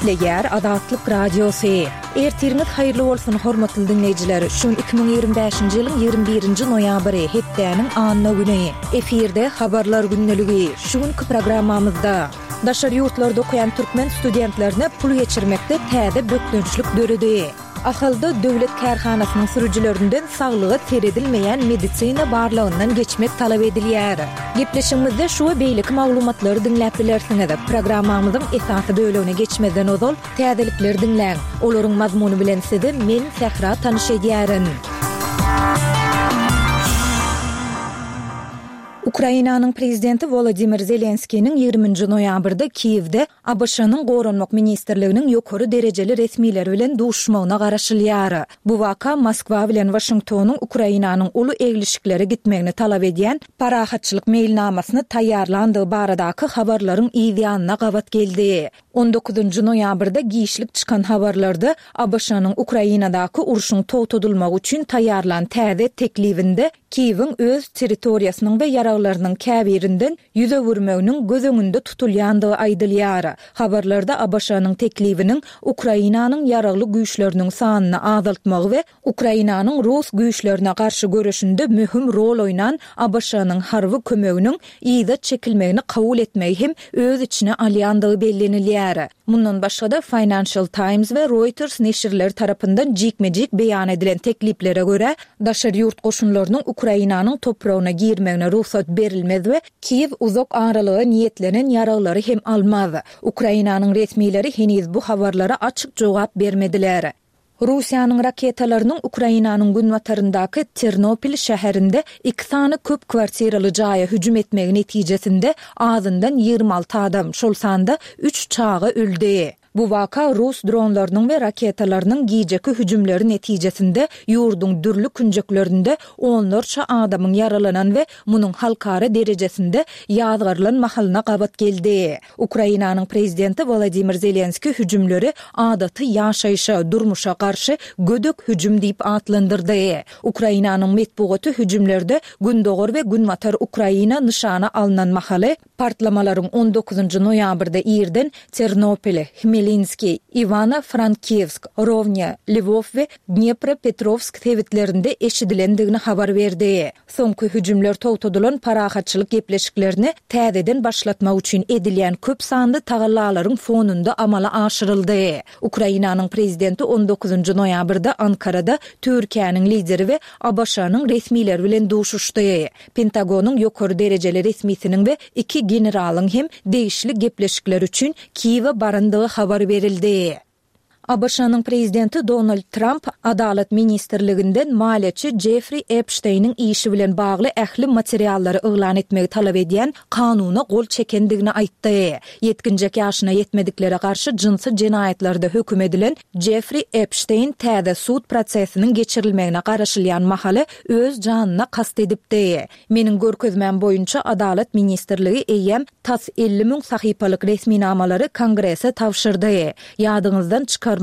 Gepleýär Azatlyk Radiosy. Ertiriňiz haýyrly bolsun, hormatly diňleýjiler! Şu gün 2025-nji ýylyň 21-nji noýabry, hepdäniň anna güni. Efirde Habarlar gündeligi. Şu günki programmamyzda. Daşary ýurtlarda okaýan türkmen studentlerine pul geçirmekde täze bökdençlik döredi. Ahalda döwlet kärhanasynyň sürüjilerinden saglyga seredilmeýän medisina barlagyndan geçmek talap edilýär. Gepleşigimizde şu we beýleki maglumatlary diňläp bilersiňiz. Programmamyzyň esasy bölegine geçmezden ozal, täzelikleri diňläň. Olaryň mazmuny bilen sizi men, Sähra tanyş edýärin. Ukrainanyň prezidenti Wolodymyr Zelenskiniň ýigriminji noýabrda Kiýewde ABŞ-nyň Goranmak ministrliginiň ýokary derejeli resmileri bilen duşuşmagyna garaşylýar. Bu waka Moskwa bilen Waşingtonyň Ukrainanyň uly eglişiklere gitmegini talap edýän parahatçylyk meýilnamasyny taýýarlandygy baradaky habarlaryň yz ýanyna gabat geldi. On dokuzynjy noýabrda giçlik çykan habarlarda ABŞ-nyň Ukrainadaky urşuň togtadylmagy üçin taýýarlan täze teklibinde Kiýewiň öz territoriýasynyň we ýaraglarynyň käbirinden ýüz öwürmeginiň göz öňünde tutulýandygy aýdylýar. Habarlarda ABŞ-nyň teklibiniň Ukrainanyň ýaragly güýçleriniň sanyny azaltmagy we Ukrainanyň rus güýçlerine garşy göreşinde möhüm rol oýnan ABŞ-nyň harby kömeginiň yza çekilmegini kabul etmegi hem öz içine alýandygy bellenilýär. Mundan başga-da, Financial Times we Reuters neşirleri tarapyndan jikme-jik beýan edilen tekliplere görä, daşary ýurt goşunlarynyň Ukrainanyň topragyna girmegine rugsat berilmez we Kiýew uzak aralyga niýetlenen ýaraglary hem almaz. Ukrainanyň resmileri heniz bu habarlara açyk jogap bermediler. Russiýanyň raketalarynyň Ukrainanyň günbataryndaky Ternopil şäherinde iki sany köp kwartiraly jaýa hüjüm etmegi netijesinde azyndan 26 adam, şol sanda üç çaga öldi. Bu waka rus dronlarynyň we raketalarynyň gijeki hüjümleri netijesinde ýurduň dürli künjeklerinde onlarça adamyň ýaralanan we munuň halkara derejesinde ýazgarylan mahalyna gabat geldi. Ukrainanyň prezidenti Wolodymyr Zelenskiý hüjümleri adaty ýaşaýşa, durmuşa garşy gödek hüjüm diýip atlandyrdy. Ukrainanyň metbugaty hüjümlerde gündogar we günbatar Ukraina nyşana alnan mahaly, partlamalaryň on dokuzynjy noýabrda irden Ternopil, Hmelinskiý, Iwano-Frankiwsk, Rownýa, Lwow we Dnepropetrowsk sebitlerinde eşidilendigini habar berdi. Soňky hüjümler togtadylan parahatçylyk gepleşiklerini täzeden başlatmak üçin edilýän köp sanly tagallalaryň fonunda amala aşyryldy. Ukrainanyň prezidenti on dokuzynjy noýabrda Ankarada Türkiýäniň lideri we ABŞ-nyň resmileri bilen duşuşdy. Pentagonyň ýokary derejeli resmisiniň we iki generalyň hem degişli gepleşikler üçin Kiýewe barandygy habar berildi. ABŞ-nyň prezidenti Donald Tramp Adalat ministrliginden maliýeçi Jeffri Epşteýniň işi bilen bagly ähli materiallary yglan etmegi talap edýän kanuna gol çekendigini aýtdy. Ýetginjek ýaşyna ýetmediklere garşy jynsy jenaýatlarda höküm edilen Jeffri Epşteýn täze sud prosesiniň geçirilmegine garaşylýan mahaly öz janyna kast edipdi. Meniň görkezmäm boýunça Adalat ministrligi eýýäm tas 50 müň sahypalyk resminamalary Kongrese tabşyrdy. Ýadyňyzdan çykarmaň,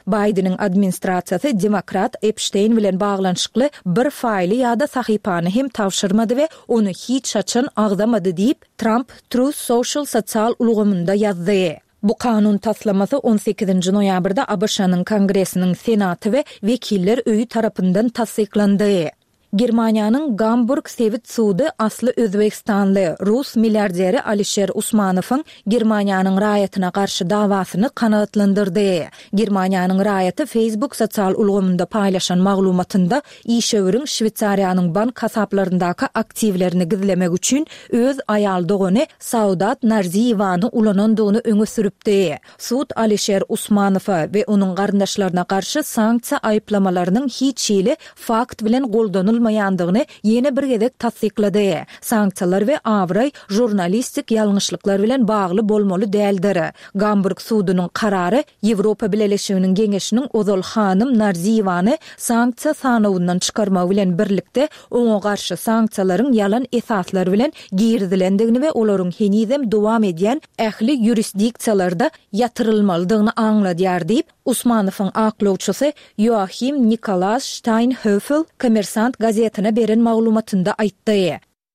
Baýdeniň administrasiýasy demokrat Epşteýn bilen baglanyşykly bir faýly ýa-da sahypany hem tabşyrmady we ony hiç haçan agzamady diýip, Tramp Truth Social sosial ulgamynda ýazdy. Bu kanun taslamasy on sekizinji noýabrda ABŞ-nyň Kongresiniň Senaty we Wekiller öýi tarapyndan tassyklandy. Germaniýanyň Gamburg sebit sudy asly özbegistanly, rus milliarderi Alişer Usmanowyň Germaniýanyň raýatyna garşy dawasyny kanagatlandyrdy. Germaniýanyň raýaty Facebook sosial ulgamynda paýlaşan maglumatynda işewüriň Şweýsariýanyň bank hasaplaryndaky aktiwlerini gizlemek üçin öz aýal dogany Saodat Narziýewany ulanandygyny öňe sürüpdi. Sud Alişer Usmanowa we onuň garyndaşlaryna garşy sanksiýa aýyplamalarynyň hiç hili fakt bilen goldanylmaýandygyny ýene bir gezek tassyklady. Sanksiýalar we abraý žurnalistik ýalňyşlyklar bilen bagly bolmaly däldir. Gamburg sudunyň karary Ýewropa Bileleşiginiň Geňeşiniň ozal hanym Narziýewany sanksiýa sanawyndan çykarmagy bilen birlikde oňa garşy sanksiýalaryň ýalan esaslar bilen girizilendigini we olaryň henizem dowam edýän ähli ýurisdiksiýalarda ýatyrylmalydygyny aňladýar diýip, Usmanowyň aklawçysy Ýoahim Nikolas Ştaýnhöfel Kommersant gazetine beren maglumatynda aýtdy.